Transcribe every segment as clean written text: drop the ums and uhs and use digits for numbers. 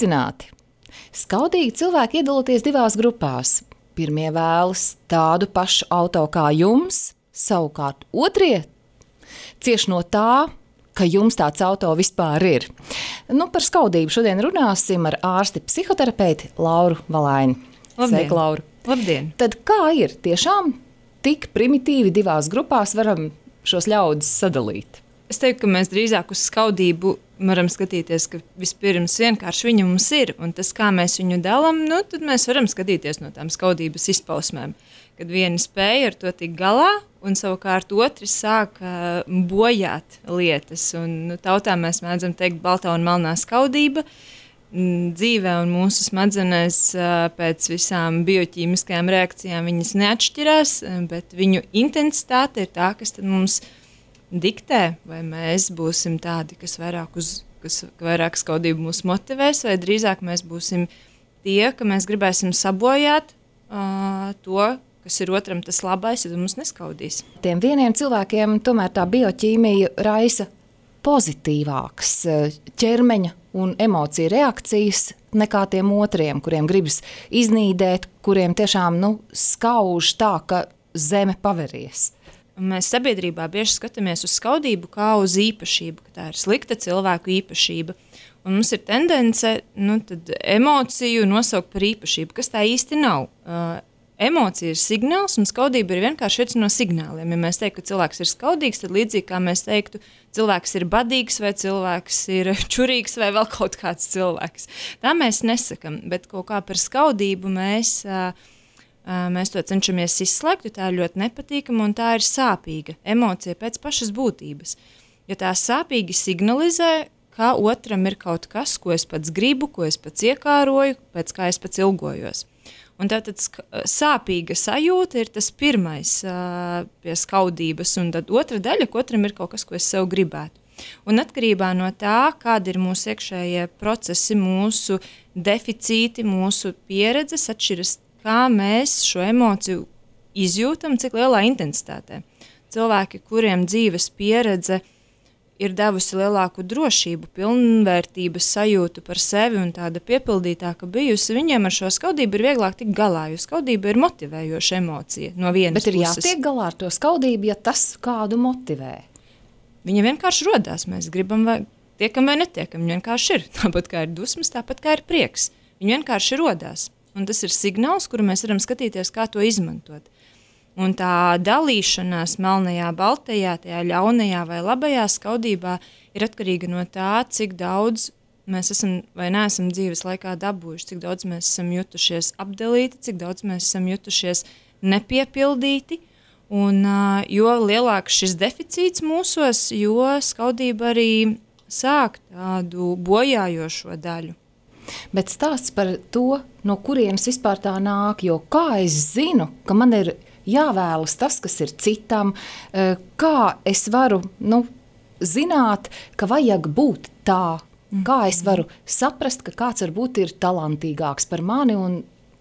Sveicināti! Skaudīgi cilvēki iedaloties divās grupās. Pirmie vēlas tādu pašu auto kā jums, savukārt otrie cieš no tā, ka jums tāds auto vispār ir. Par skaudību šodien runāsim ar ārsti psihoterapeiti Lauru Valaini. Sveika, Laura! Labdien! Tad kā ir? Tiešām tik primitīvi divās grupās varam šos ļaudis sadalīt? Es teiktu, ka mēs drīzāk uz skaudību varam skatīties, ka vispirms vienkārši viņa mums ir, un tas, kā mēs viņu dalām, tad mēs varam skatīties no tām skaudības izpausmēm. Kad vieni spēja ar to tikt galā, un savukārt otri sāk bojāt lietas. Un tautā mēs mēdzam teikt baltā un melnā skaudība. Dzīvē un mūsu smadzenēs pēc visām bioķīmiskajām reakcijām viņas neatšķirās, bet viņu intensitāte ir tā, kas tad mums diktē, vai mēs būsim tādi, kas vairāk skaudību mūs motivēs, vai drīzāk mēs būsim tie, ka mēs gribēsim sabojāt to, kas ir otram tas labais, ja mums neskaudīs. Tiem vieniem cilvēkiem tomēr tā bioķīmija raisa pozitīvākas ķermeņa un emociju reakcijas nekā tiem otriem, kuriem gribas iznīdēt, kuriem tiešām skauž tā, ka zeme paveries. Mēs sabiedrībā bieži skatāmies uz skaudību kā uz īpašību, ka tā ir slikta cilvēku īpašība. Un mums ir tendence emociju nosaukt par īpašību, kas tā īsti nav. Emocija ir signāls, un skaudība ir vienkārši viens no signāliem. Ja mēs teiktu, ka cilvēks ir skaudīgs, tad līdzīgi kā mēs teiktu, cilvēks ir badīgs, vai cilvēks ir čurīgs, vai vēl kaut kāds cilvēks. Tā mēs nesakam, bet kaut kā par skaudību mēs to cenšamies izslēgt, jo tā ir ļoti nepatīkama un tā ir sāpīga emocija pēc pašas būtības. Ja tā sāpīgi signalizē, ka otram ir kaut kas, ko es pats gribu, ko es pats iekāroju, pēc kā es pats ilgojos. Un tātad sāpīga sajūta ir tas pirmais pie skaudības, un tad otra daļa, ka otram ir kaut kas, ko es sev gribētu. Un atkarībā no tā, kādi ir mūsu iekšējie procesi, mūsu deficīti, mūsu pieredzes atšķiras, kā mēs šo emociju izjūtam, cik lielā intensitātē. Cilvēki, kuriem dzīves pieredze ir devusi lielāku drošību, pilnvērtības sajūtu par sevi un tāda piepildītāka bijusi, viņiem ar šo skaudību ir vieglāk tikt galā, jo skaudība ir motivējoša emocija no vienas puses. Bet ir jātiek galā ar to skaudību, ja tas kādu motivē. Viņa vienkārši rodās, mēs gribam vai tiekam vai netiekam, viņa vienkārši ir. Tāpat kā ir dusmas, tāpat kā ir prieks. Viņa vienkārši rodās. Un tas ir signāls, kuru mēs varam skatīties, kā to izmantot. Un tā dalīšanās melnajā, baltajā, tajā ļaunajā vai labajā skaudībā ir atkarīga no tā, cik daudz mēs esam vai neesam dzīves laikā dabūjuši, cik daudz mēs esam jutušies apdalīti, cik daudz mēs esam jutušies nepiepildīti. Un jo lielāks šis deficīts mūsos, jo skaudība arī sāk tādu bojājošo daļu. Bet stāsts par to, no kurienes vispār tā nāk, jo kā es zinu, ka man ir jāvēlas tas, kas ir citam, kā es varu zināt, ka vajag būt tā, kā es varu saprast, ka kāds varbūt ir talantīgāks par mani un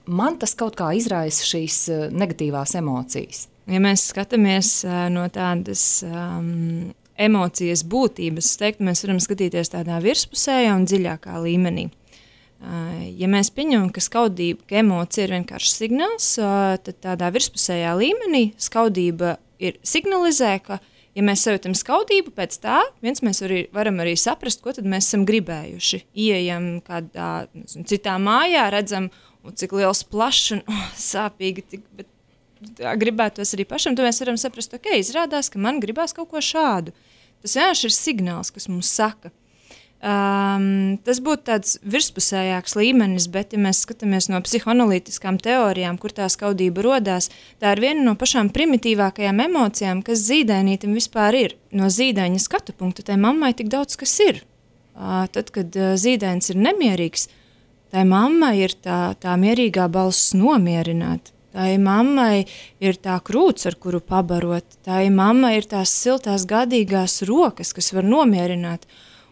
man tas kaut kā izraisa šīs negatīvās emocijas. Ja mēs skatāmies no tādas emocijas būtības, es teiktu, mēs varam skatīties tādā virspusējā un dziļākā līmenī. Ja mēs pieņemam, ka skaudība, ka emocija ir vienkārši signāls, tad tādā virspusējā līmenī skaudība ir signalizē, ka, ja mēs sajūtam skaudību, pēc tā mēs varam arī saprast, ko tad mēs esam gribējuši. Ieejam kādā citā mājā, redzam, cik liels plašs un sāpīgi, bet gribētos arī pašam, tad mēs varam saprast, ok, izrādās, ka man gribās kaut ko šādu. Tas vienkārši ir signāls, kas mums saka. Tas būtu tāds virspusējāks līmenis, bet ja mēs skatāmies no psihoanalītiskām teorijām, kur tā skaudība rodās, tā ir viena no pašām primitīvākajām emocijām, kas zīdainītim vispār ir. No zīdaiņa skatu punkta tai mammai tik daudz kas ir. Tad, kad zīdains ir nemierīgs, tai mammai ir tā mierīgā balss nomierināt. Tai mammai ir tā krūts, ar kuru pabarot. Tai mammai ir tās siltās gādīgās rokas, kas var nomierināt.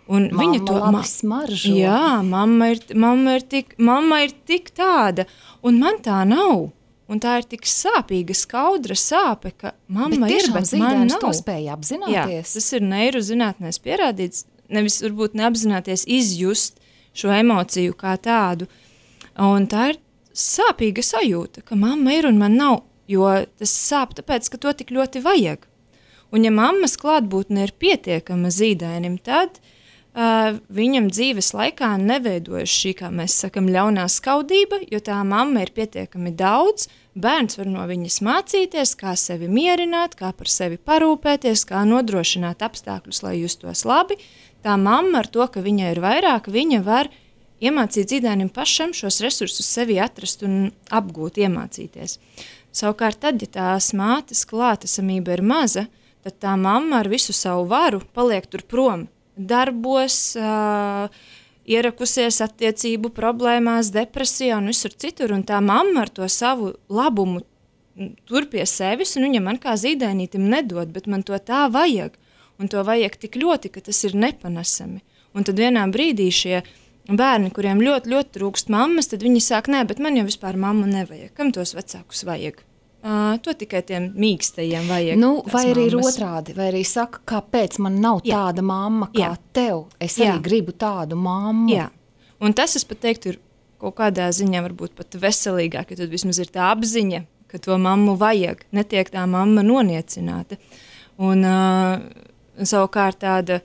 Un viņa to labi smaržo. Jā, mamma ir tik tāda, un man tā nav. Un tā ir tik sāpīga, skaudra sāpe, ka mamma ir, bet man nav. To spēja apzināties. Jā, tas ir neirozinātnēs pierādīts, nevis varbūt neapzināties izjust šo emociju kā tādu. Un tā ir sāpīga sajūta, ka mamma ir un man nav, jo tas sāp tāpēc, ka to tik ļoti vajag. Un ja mammas klātbūtne ir pietiekama zīdainim, tad viņam dzīves laikā neveidojas šī, kā mēs sakam, ļaunā skaudība, jo tā mamma ir pietiekami daudz, bērns var no viņas mācīties, kā sevi mierināt, kā par sevi parūpēties, kā nodrošināt apstākļus, lai justos labi. Tā mamma ar to, ka viņa ir vairāk, viņa var iemācīt zīdainim pašam šos resursus sevi atrast un apgūt, iemācīties. Savukārt tad, ja tās mātes klātesamība ir maza, tad tā mamma ar visu savu varu paliek tur prom, darbos, ierakusies attiecību problēmās, depresijā un visur citur, un tā mamma ar to savu labumu tur pie sevis, un viņa man kā zīdainītim nedod, bet man to tā vajag, un to vajag tik ļoti, ka tas ir nepanesami. Un tad vienā brīdī šie bērni, kuriem ļoti, ļoti trūkst mammas, tad viņi sāk, nē, bet man jau vispār mammu nevajag, kam tos vecākus vajag? To tikai tiem mīkstajiem vajag. Vai arī ir otrādi, vai arī saka, kāpēc man nav tāda mamma kā tev, es arī gribu tādu mammu. Jā, un tas, es pat teiktu, ir kaut kādā ziņā varbūt pat veselīgāk, ja tad vismaz ir tā apziņa, ka to mammu vajag, netiek tā mamma noniecināta. Un savukārt tāda,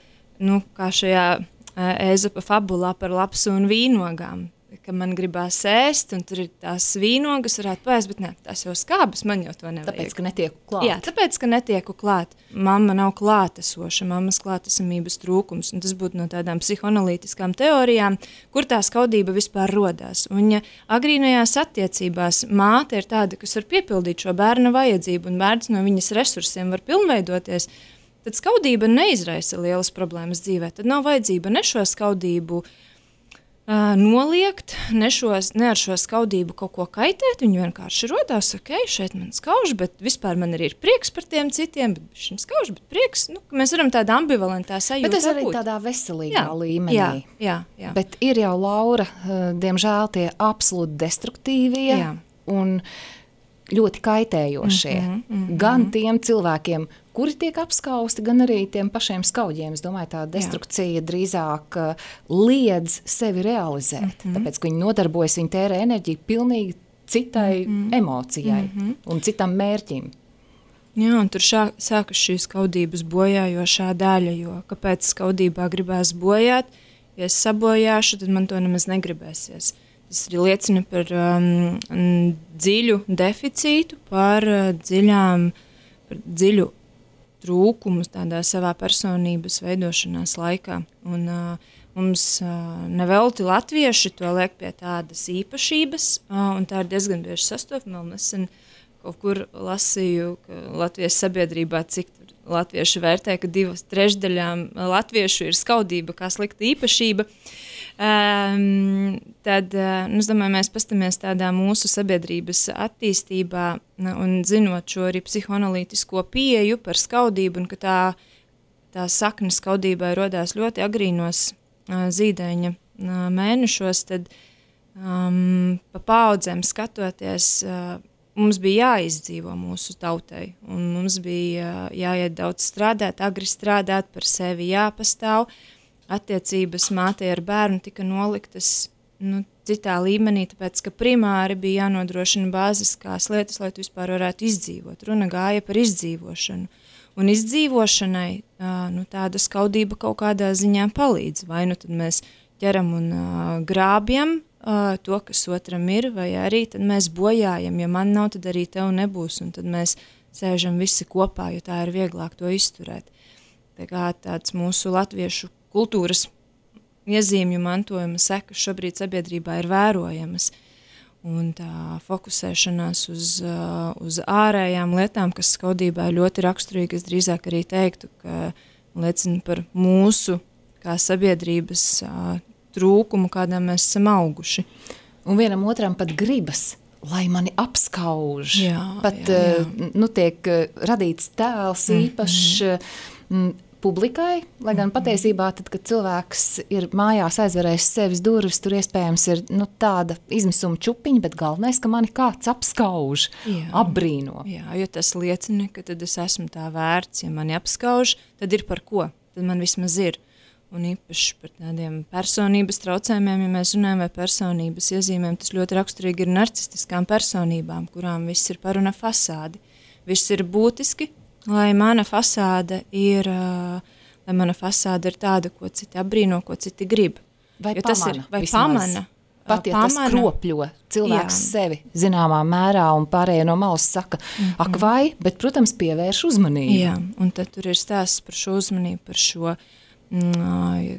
kā šajā Ēzopa fabulā par lapsu un vīnogām, ka man gribās ēst, un tur ir tās vīnogas, varētu paēst, bet ne, tās jau skābas, man jau to nevajag. Tāpēc, ka netieku klāt. Jā, tāpēc, ka netieku klāt. Mamma nav klātesoša, mammas klātesamības trūkums, un tas būtu no tādām psihoanalītiskām teorijām, kur tā skaudība vispār rodās. Un ja agrīnajās attiecībās māte ir tāda, kas var piepildīt šo bērna vajadzību, un bērns no viņas resursiem var pilnveidoties, tad skaudība neizraisa lielas problēmas dzīvē. Tad nav vajadzība ne šo skaudību noliegt, ne ar šo skaudību kaut ko kaitēt, viņi vienkārši rodās, šeit man skauž, bet vispār man arī ir prieks par tiem citiem, bet šim skauž, bet prieks, mēs varam tādā ambivalentā sajūtā būt. Bet tas arī tādā veselīgā līmenī. Jā. Bet ir jau, Laura, diemžēl tie absolūti destruktīvie un ļoti kaitējošie. Gan tiem cilvēkiem, kuri tiek apskausti, gan arī tiem pašiem skaudiem. Es domāju, tā destrukcija drīzāk liedz sevi realizēt. Tāpēc, ka viņi nodarbojas, viņi tērē enerģiju pilnīgi citai emocijai un citam mērķim. Jā, un tur sākas šī skaudības bojājošā daļa, jo kāpēc skaudībā gribās bojāt, ja es sabojāšu, tad man to nemaz negribēsies. Tas arī liecina par dziļu deficītu, par dziļu trūkumus tādā savā personības veidošanās laikā. Un mums nevelti latvieši to liek pie tādas īpašības, un tā ir diezgan bieži sastopama. Nesen kaut kur lasīju, ka Latvijas sabiedrībā, cik latvieši vērtē, ka 2/3 latviešu ir skaudība kā slikta īpašība. Tad, es domāju, mēs pastamies tādā mūsu sabiedrības attīstībā un zinot šo arī psihoanalītisko pieeju par skaudību un ka tā sakne skaudībai rodās ļoti agrīnos zīdaiņa mēnešos, tad pa paudzēm skatoties, mums bija jāizdzīvo mūsu tautai un mums bija jāiet daudz strādāt, agri strādāt, par sevi jāpastāv. Attiecības mātei ar bērnu tika noliktas citā līmenī, tāpēc, ka primāri bija jānodrošina bāziskās lietas, lai tu vispār varētu izdzīvot. Runa gāja par izdzīvošanu. Un izdzīvošanai tāda skaudība kaut kādā ziņā palīdz. Vai nu tad mēs ķeram un grābjam to, kas otram ir, vai arī tad mēs bojājam. Ja man nav, tad arī tev nebūs, un tad mēs sēžam visi kopā, jo tā ir vieglāk to izturēt. Tā kā tāds mūsu latviešu kultūras iezīmju mantojuma sekas šobrīd sabiedrībā ir vērojamas. Un tā fokusēšanās uz ārējām lietām, kas skaudībā ir ļoti raksturīga, es drīzāk arī teiktu, ka liecina par mūsu kā sabiedrības trūkumu, kādā mēs esam auguši. Un vienam otram pat gribas, lai mani apskauž. Tiek radīts tēls īpašs publikai, lai gan patiesībā, tad, kad cilvēks ir mājās aizverējis sevis durvis, tur iespējams ir tāda izmisuma čupiņa, bet galvenais, ka mani kāds apskauž, apbrīno. Jā, jo tas liecina, ka tad es esmu tā vērts, ja mani apskauž, tad ir par ko, tad man vismaz ir. un īpaši par tādiem personības traucējumiem, ja mēs runājam vai personības iezīmēm, tas ļoti raksturīgi ir narcistiskām personībām, kurām viss ir par un ap fasādi. Viss ir būtiski, lai mana fasāde ir tāda, ko citi apbrīno, ko citi grib. Vai jo pamana, tas ir, vai vismaz. pamana. Pat ja tas kropļo cilvēks sevi zināmā mērā un pārējie no malas saka, ak vai, bet, protams, pievērš uzmanību. Jā, un tad tur ir stāsts par šo uzmanību, par šo,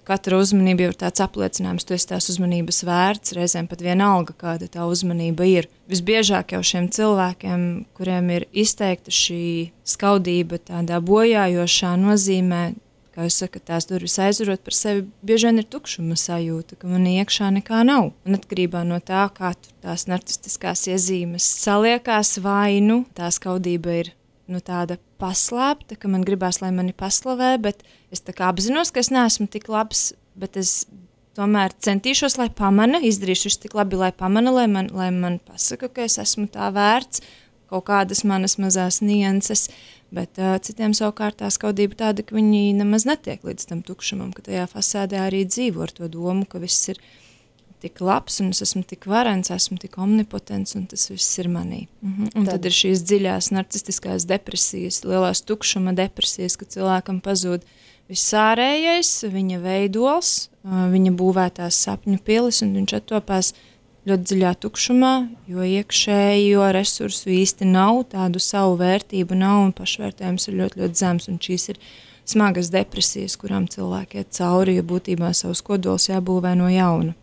katra uzmanība jau ir tāds apliecinājums, tu esi tās uzmanības vērts, reizēm pat vienalga, kāda tā uzmanība ir. Visbiežāk jau šiem cilvēkiem, kuriem ir izteikta šī skaudība tādā bojājošā nozīmē, kā jūs sakat, tās durvis aizvarot par sevi, bieži vien ir tukšuma sajūta, ka man iekšā nekā nav. Un atkarībā no tā, kā tur tās narcistiskās iezīmes saliekās, vai tā skaudība ir tāda paslēpta, ka man gribās, lai mani paslavē, bet es tā kā apzinos, ka es neesmu tik labs, bet es tomēr centīšos, lai pamana, izdarīšu visu tik labi, lai pamana, lai man pasaka, ka es esmu tā vērts, kaut kādas manas mazās nianses, bet citiem savukārt tā skaudība tāda, ka viņi nemaz netiek līdz tam tukšumam, ka tajā fasādē arī dzīvo ar to domu, ka viss ir tik labs un es esmu tik varens, esmu tik omnipotents un tas viss ir manī. Un tad ir šīs dziļās narcistiskās depresijas, lielās tukšuma depresijas, ka cilvēkam pazūd viss ārējais, viņa veidols, viņa būvētās sapņu pilis un viņš attopās ļoti dziļā tukšumā, jo iekšējo resursu īsti nav, tādu savu vērtību nav un pašvērtējums ir ļoti, ļoti zems. Un šīs ir smagas depresijas, kurām cilvēki iet cauri, jo būtībā savus kodols jābūvē no jauna.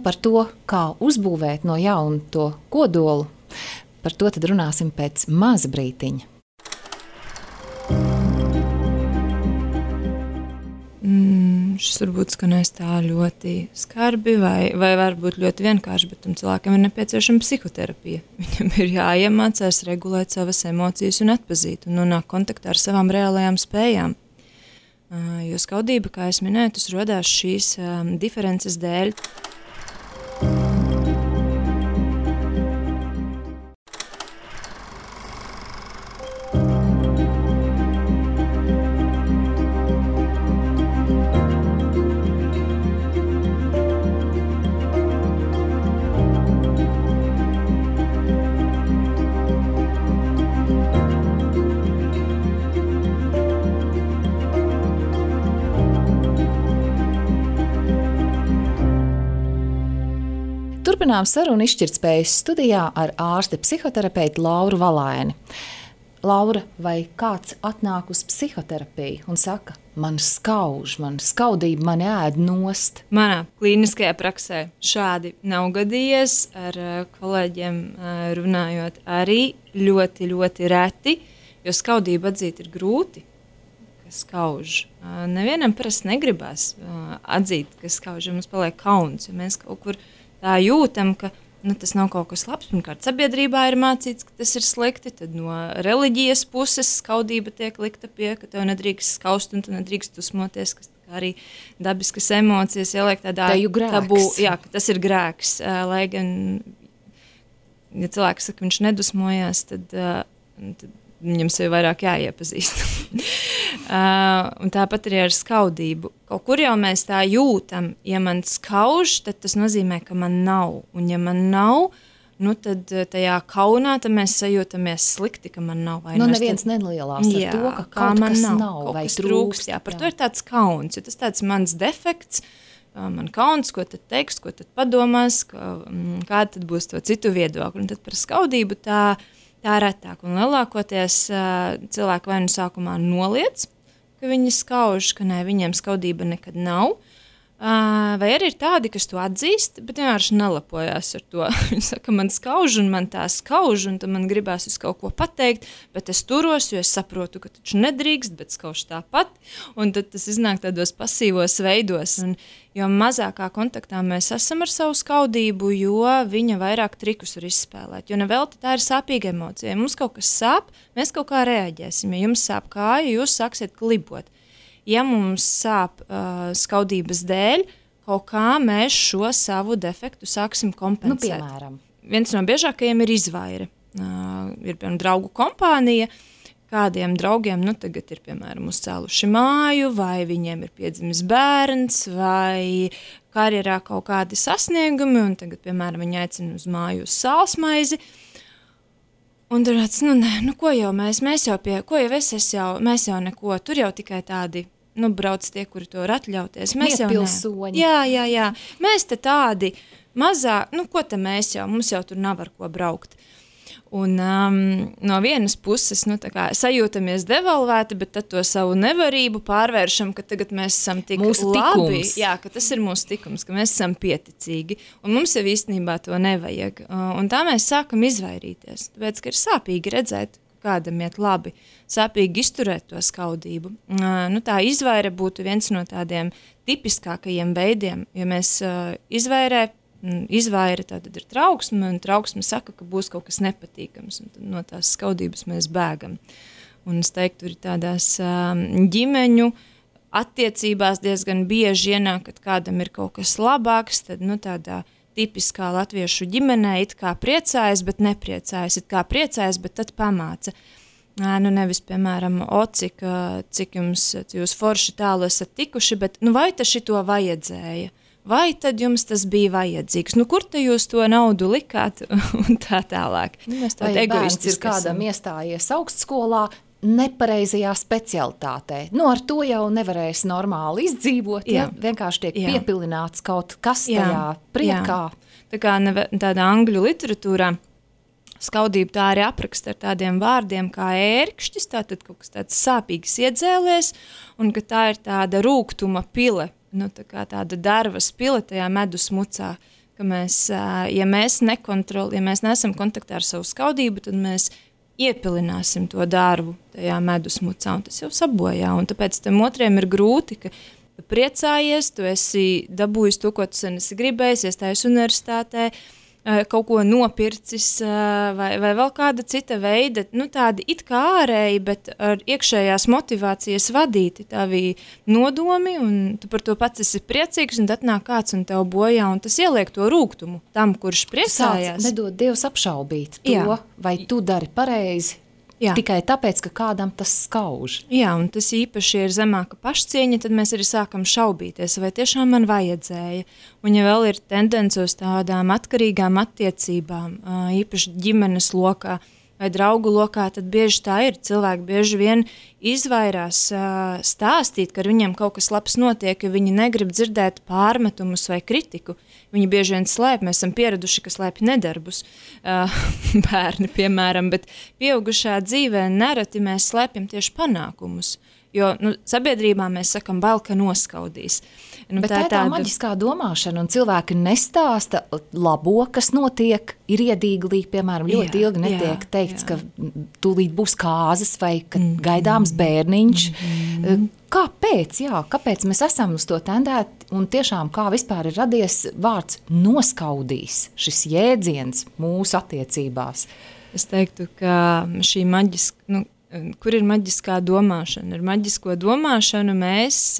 Par to, kā uzbūvēt no jauna to kodolu, par to tad runāsim pēc maza brītiņa. Šis varbūt skanēs tā ļoti skarbi vai varbūt ļoti vienkārši, bet tam cilvēkam ir nepieciešama psihoterapija. Viņam ir jāiemācās regulēt savas emocijas un atpazīt un nonākt kontaktā ar savām reālajām spējām. Jo skaudība, kā es minēju, tas rodās šīs diferences dēļ. Turpinām sarunu izšķirtspējas studijā ar ārsti psihoterapeitu Lauru Valaini. Laura, vai kāds atnāk uz psihoterapiju un saka, man skauž, man skaudība, man ēd nost? Manā klīniskajā praksē šādi nav gadījies, ar kolēģiem runājot arī ļoti, ļoti reti, jo skaudību atzīt ir grūti, ka skauž. Nevienam parasti negribās atzīt, ka skauž, jo mums paliek kauns, jo mēs kaut kur tā jūtam, ka tas nav kaut kas labs. Pirmkārt, sabiedrībā ir mācīts, ka tas ir slikti, tad no reliģijas puses skaudība tiek likta pie, ka tev nedrīkst skaust un tu nedrīkst dusmoties, kas arī dabiskas emocijas ieliek tādā tabū, jā, ka tas ir grēks. Lai gan, ja cilvēks saka, viņš nedusmojās, tad viņam sevi vairāk jāiepazīst. Un tāpat arī ar skaudību. Kaut kur jau mēs tā jūtam, ja man skauž, tad tas nozīmē, ka man nav. Un ja man nav, tad tajā kaunā tad mēs sajūtamies slikti, ka man nav. Neviens nelielās ar to, ka kaut kas nav vai trūkst. Jā, par to ir tāds kauns, jo tas tāds mans defekts, man kauns, ko tad teiks, ko tad padomās, kāda tad būs to citu viedokļu. Un tad par skaudību tā retāk. Un lielākoties cilvēki vai nu sākumā noliec, ka viņi skauž, ka nē, viņiem skaudība nekad nav. Vai arī ir tādi, kas to atzīst, bet vienkārši nelapojās ar to. Viņi saka, man skauž un man tā skauž, un tad man gribās uz kaut ko pateikt, bet es turos, jo es saprotu, ka taču nedrīkst, bet skauž tāpat. Un tad tas iznāk tādos pasīvos veidos. Un jo mazākā kontaktā mēs esam ar savu skaudību, jo viņa vairāk trikus var izspēlēt. Jo nevelti tā ir sāpīga emocija. Ja mums kaut kas sāp, mēs kaut kā reaģēsim. Ja jums sāp kāja, jūs sāksiet klibot. Ja mums sāp skaudības dēļ, kaut kā mēs šo savu defektu sāksim kompensēt. Piemēram. Viens no biežākajiem ir izvaire. Ir, piemēram, draugu kompānija, kādiem draugiem, tagad ir, piemēram, uzcēluši māju, vai viņiem ir piedzimis bērns, vai karjerā kaut kādi sasniegumi, un tagad, piemēram, viņi aicina uz māju uz sālsmaizi. Un tur tāds, ko jau mēs jau ko jau mēs jau neko, tur jau tikai tādi, brauc tie, kuri to var atļauties. Mēs jau pilsoņi. Jā. Mēs te tādi mazā, ko te mēs jau, mums jau tur nav ar ko braukt. Un no vienas puses, tā kā sajūtamies devalvēti, bet tad to savu nevarību pārvēršam, ka tagad mēs esam tik mūsu labi. Tikums. Jā, ka tas ir mūsu tikums, ka mēs esam pieticīgi. Un mums jau īstenībā to nevajag. Un tā mēs sākam izvairīties. Tāpēc, ka ir sāpīgi redzēt, kādam iet labi, sāpīgi izturēt to skaudību. Tā izvaire būtu viens no tādiem tipiskākajiem veidiem, jo mēs izvaira tātad ir trauksme, un trauksme saka, ka būs kaut kas nepatīkams, un tad no tās skaudības mēs bēgam. Un es teiktu, ir tādās ģimeņu attiecībās diezgan bieži ienāk, kad kādam ir kaut kas labāks, tad tādā tipiskā latviešu ģimenē it kā priecājas, bet nepriecājas, it kā priecājas, bet tad pamāca. Nevis, piemēram, cik jūs forši tālu esat tikuši, bet vai tas šito vajadzēja? Vai tad jums tas bija vajadzīgs? Kur te jūs to naudu likāt? Un tā tālāk. Vai bērns ir kādam iestājies augstskolā nepareizajā specialitātē? Ar to jau nevarēs normāli izdzīvot, ja vienkārši tiek piepilināts kaut kas tajā priekā. Tā kā tādā angļu literatūrā skaudību tā arī apraksta ar tādiem vārdiem kā ērkšķis, tātad kaut kas tāds sāpīgs iedzēlies, un ka tā ir tāda rūgtuma pile, tāda darvas pile tajā medus mucā, ka mēs, ja mēs neesam kontaktā ar savu skaudību, tad mēs iepilināsim to darbu tajā medus mucā, un tas jau sabojā, un tāpēc tam otriem ir grūti, ka tu priecājies, tu esi dabūjis to, ko tu sen esi gribējis, iestājies universitātē, kaut ko nopircis vai vēl kāda cita veida, tādi it kā ārēji, bet ar iekšējās motivācijas vadīti tavi nodomi, un tu par to pats esi priecīgs, un tad nāk kāds un tev bojā, un tas ieliek to rūgtumu tam, kurš priecājās. Sāc nedod Dievs apšaubīt to, vai tu dari pareizi, tikai tāpēc, ka kādam tas skauž. Jā, un tas īpaši ir zemāka pašcieņa, tad mēs arī sākam šaubīties, vai tiešām man vajadzēja. Un ja vēl ir tendence uz tādām atkarīgām attiecībām, īpaši ģimenes lokā vai draugu lokā, tad bieži tā ir. Cilvēki bieži vien izvairās stāstīt, ka ar viņiem kaut kas labs notiek, jo viņi negrib dzirdēt pārmetumus vai kritiku. Viņi bieži vien slēp, mēs esam pieraduši, ka slēpj nedarbus, bērni, piemēram, bet pieaugušā dzīvē nereti mēs slēpjam tieši panākumus. Jo sabiedrībā mēs sakam, bail, ka noskaudīs. Bet tā ir tā maģiskā domāšana, un cilvēki nestāsta labo, kas notiek, ir iedīglī, piemēram, ļoti ilgi netiek teikts, ka tūlīt būs kāzas vai ka gaidāms bērniņš. Kāpēc? Kāpēc mēs esam uz to tendēti, un tiešām kā vispār ir radies vārds noskaudīs, šis jēdziens mūsu attiecībās? Es teiktu, ka šī maģiska, kur ir maģiskā domāšana? Ar maģisko domāšanu mēs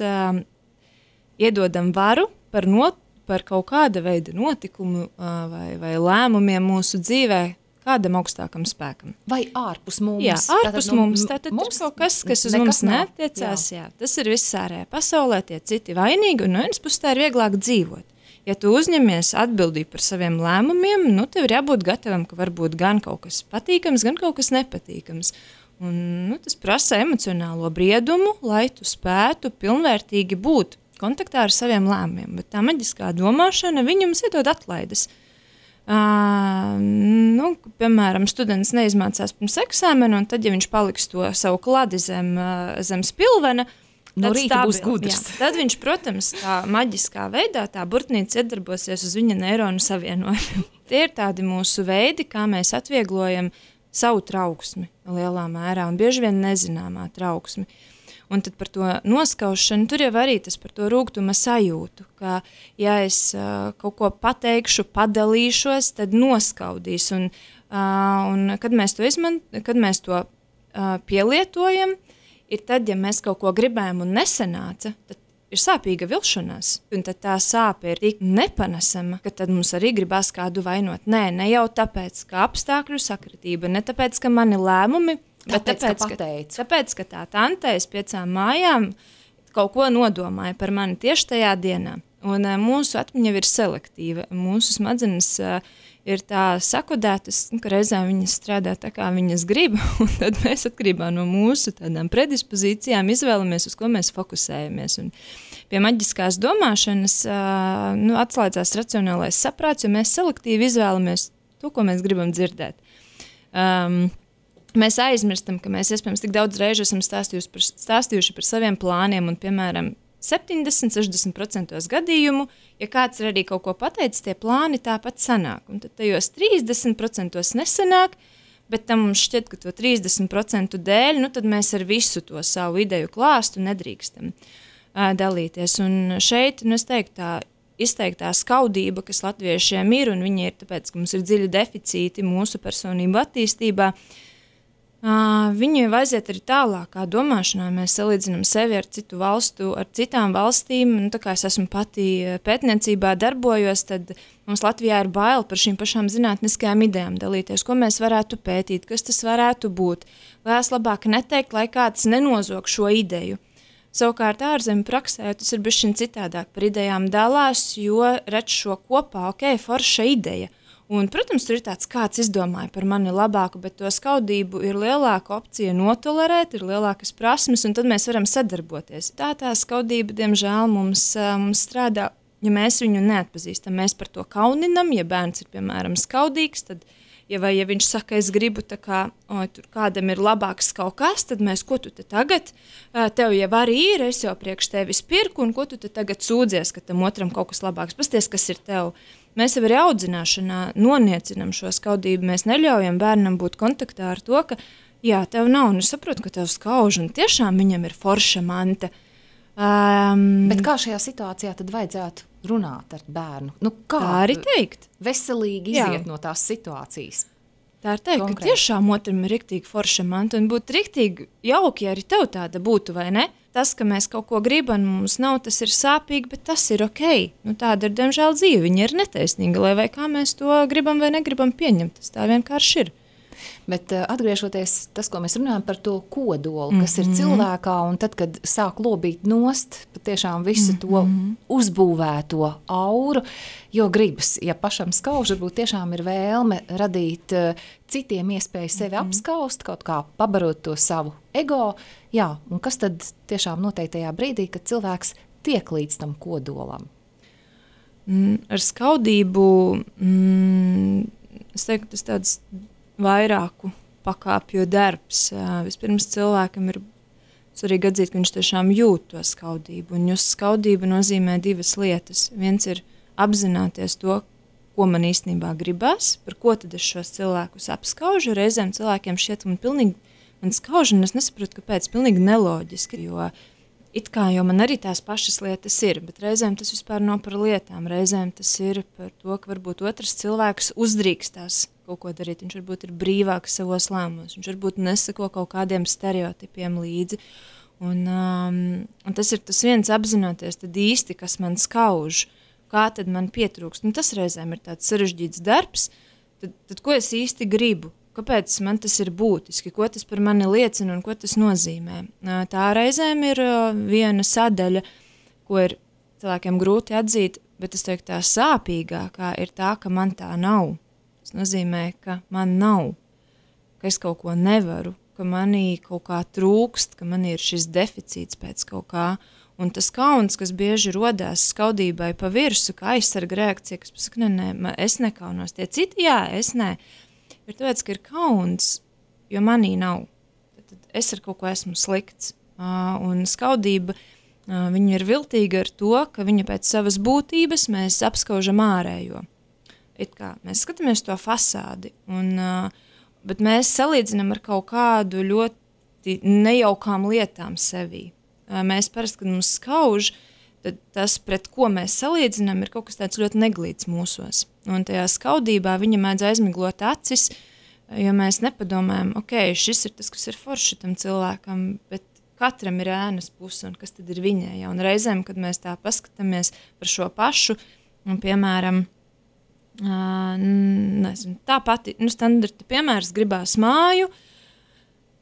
iedodam varu par kaut kāda veida notikumu vai lēmumiem mūsu dzīvē kādam augstākam spēkam. Vai ārpus mums? Jā, ārpus mums. Tātad ir kaut kas uz mums neatiecās. Jā. Tas ir viss ārējā pasaulē, tie citi vainīgi, un no vienas puses tā ir vieglāk dzīvot. Ja tu uzņemies atbildību par saviem lēmumiem, tev ir jābūt gatavam, ka varbūt gan kaut kas patīkams, gan kaut kas nepatīkams. Un, tas prasa emocionālo briedumu, lai tu spētu pilnvērtīgi būt kontaktā ar saviem lēmumiem. Bet tā maģiskā domāšana, viņa mums iedod atlaides. Piemēram, students neizmācās pirms eksāmena, un tad, ja viņš paliks to savu kladi zem spilvena, no rīta būs gudrs. Tad viņš, protams, tā maģiskā veidā, tā burtnīca iedarbosies uz viņa neironu savienojumiem. Tie ir tādi mūsu veidi, kā mēs atvieglojam savu trauksmi lielā mērā, un bieži vien nezināmā trauksmi. Un tad par to noskaušanu, tur jau arī tas par to rūgtuma sajūtu, ka, ja es kaut ko pateikšu, padalīšos, tad noskaudīs. Un kad mēs to pielietojam, ir tad, ja mēs kaut ko gribējam un nesanāca, tad ir sāpīga vilšanās. Un tad tā sāpe ir tik nepanesama, ka tad mums arī gribās kādu vainot. Nē, ne jau tāpēc, ka apstākļu sakritība, ne tāpēc, ka mani lēmumi Tāpēc, ka tā tante aiz 5 mājām kaut ko nodomāja par mani tieši tajā dienā. Un mūsu atmiņa ir selektīva. Mūsu smadzenes ir tā sakodētas, ka reizēm viņas strādā tā, kā viņas grib, un tad mēs atkarībā no mūsu tādām predispozīcijām izvēlamies, uz ko mēs fokusējamies. Un pie maģiskās domāšanas atslēdzās racionālais saprāts, jo mēs selektīvi izvēlamies to, ko mēs gribam dzirdēt. Mēs aizmirstam, ka mēs iespējams tik daudz reižu esam stāstījuši par saviem plāniem un, piemēram, 70-60% gadījumu, ja kāds ir arī kaut ko pateicis, tie plāni tāpat sanāk. Un tad tajos 30% nesanāk, bet tam mums šķiet, ka to 30% dēļ, tad mēs ar visu to savu ideju klāstu nedrīkstam dalīties. Un šeit, es teiktu, tā izteiktā skaudība, kas latviešiem ir, un viņi ir tāpēc, ka mums ir dziļi deficīti mūsu personību attīstībā, viņi jau aiziet arī tālākā domāšanā. Mēs salīdzinām sevi ar citu valstu, ar citām valstīm. Tā kā es esmu pati pētniecībā darbojos, tad mums Latvijā ir bail par šīm pašām zinātniskajām idejām dalīties, ko mēs varētu pētīt, kas tas varētu būt. Vai es labāk neteikt, lai kāds nenozog šo ideju. Savukārt ārzemju praksē tas ir bišķiņ citādāk, par idejām dalās, jo redz šo kopā, forša ideja. Un, protams, tur ir tāds, kāds izdomāja par mani labāku, bet to skaudību ir lielāka opcija notolerēt, ir lielākas prasmes, un tad mēs varam sadarboties. Tā skaudība, diemžēl, mums strādā, ja mēs viņu neatpazīstam. Mēs par to kauninam, ja bērns ir, piemēram, skaudīgs, tad, ja viņš saka, es gribu, tā kā, tur kādam ir labāks kaut kas, tad mēs, ko tu te tagad, tev jau arī ir, es jau priekš tevis pirku, un ko tu te tagad sūdzies, ka tam otram kaut kas labāks. Pasties, kas ir tev. Mēs jau arī audzināšanā noniecinām šo skaudību. Mēs neļaujam bērnam būt kontaktā ar to, ka jā, tev nav, un es saprotu, ka tev skauž, un tiešām viņam ir forša manta. Bet kā šajā situācijā tad vajadzētu runāt ar bērnu? Kā tā arī teikt? Veselīgi iziet no tās situācijas? Tā ir teikt, ka tiešām otram ir riktīgi forša manta, un būtu riktīgi jauki, ja arī tev tāda būtu, vai ne? Tas, ka mēs kaut ko gribam, mums nav, tas ir sāpīgi, bet tas ir ok. Tāda ir, diemžēl, dzīve. Viņa ir netaisnīga, lai vai kā mēs to gribam vai negribam pieņemt. Tas tā vienkārši ir. Bet atgriežoties tas, ko mēs runājam par to kodolu, kas ir cilvēkā, un tad, kad sāk lobīt nost, patiešām visu to uzbūvēto auru, jo gribas, ja pašam skauž, varbūt tiešām ir vēlme radīt citiem iespēju sevi apskaust, kaut kā pabarot to savu ego, jā, un kas tad tiešām noteiktajā brīdī, kad cilvēks tiek līdz tam kodolam? Ar skaudību, es teiktu, tas tāds vairāku pakāpju darbs. Vispirms cilvēkam ir svarīgi atzīt, ka viņš tiešām jūt to skaudību. Un just skaudība nozīmē divas lietas. Viens ir apzināties to, ko man īstenībā gribas, par ko tad es šos cilvēkus apskaužu. Reizēm cilvēkiem šķiet, ka man skauž, un es nesaprotu, kāpēc, pilnīgi neloģiski, jo it kā jau man arī tās pašas lietas ir, bet reizēm tas vispār nav par lietām. Reizēm tas ir par to, ka varbūt otrs cilvēks uzdrīkstās kaut ko darīt. Viņš varbūt ir brīvāks savos lēmumos, viņš varbūt nesako kaut kādiem stereotipiem līdzi. Un tas ir tas viens apzināties tad īsti, kas man skauž, kā tad man pietrūkst. Un tas reizēm ir tāds sarežģīts darbs, tad ko es īsti gribu? Kāpēc man tas ir būtiski, ko tas par mani liecina un ko tas nozīmē. Tā reizēm ir viena sadaļa, ko ir cilvēkiem grūti atzīt, bet es teiktu, tā sāpīgākā ir tā, ka man tā nav. Tas nozīmē, ka man nav, ka es kaut ko nevaru, ka manī kaut kā trūkst, ka man ir šis deficīts pēc kaut kā. Un tas kauns, kas bieži rodās skaudībai pa virsu, kā aizsarga reakcija, kas pasaka, nē, es nekaunos. Tie citi, jā, es nē. Ir tāpēc, ka ir kauns, jo manī nav. Tad es ar kaut ko esmu slikts. Un skaudība, viņa ir viltīga ar to, ka viņa pēc savas būtības mēs apskaužam ārējo. It kā mēs skatāmies to fasādi, bet mēs salīdzinām ar kaut kādu ļoti nejaukām lietām sevī. Mēs parasti, kad mums skauž, tad tas, pret ko mēs salīdzinām, ir kaut kas tāds ļoti neglīts mūsos. Un tajā skaudībā viņa mēdz aizmiglot acis, jo mēs nepadomājam, ok, šis ir tas, kas ir forši tam cilvēkam, bet katram ir ēnas puse, un kas tad ir viņai. Un reizēm, kad mēs tā paskatāmies par šo pašu, un piemēram, nezinu, tā pati, standarta piemērs, gribās māju,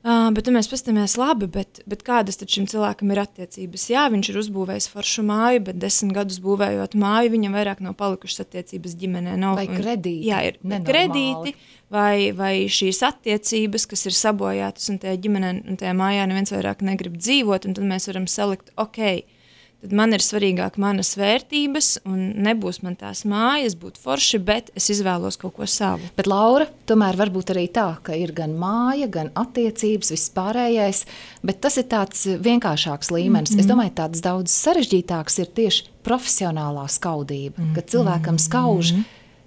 Bet mēs paskatāmies labi, bet kādas tad šim cilvēkam ir attiecības? Jā, viņš ir uzbūvējis foršu māju, bet 10 gadus būvējot māju, viņam vairāk nav palikušas attiecības ģimenē. Nav, vai kredīti. Jā, ir kredīti vai šīs attiecības, kas ir sabojātas un tajā ģimenē un tajā mājā neviens vairāk negrib dzīvot, un tad mēs varam salikt, tad man ir svarīgāk manas vērtības, un nebūs man tās mājas, būt forši, bet es izvēlos kaut ko savu. Bet, Laura, tomēr varbūt arī tā, ka ir gan māja, gan attiecības, viss pārējais, bet tas ir tāds vienkāršāks līmenis. Es domāju, tāds daudz sarežģītāks ir tieši profesionālā skaudība, kad cilvēkam skauž,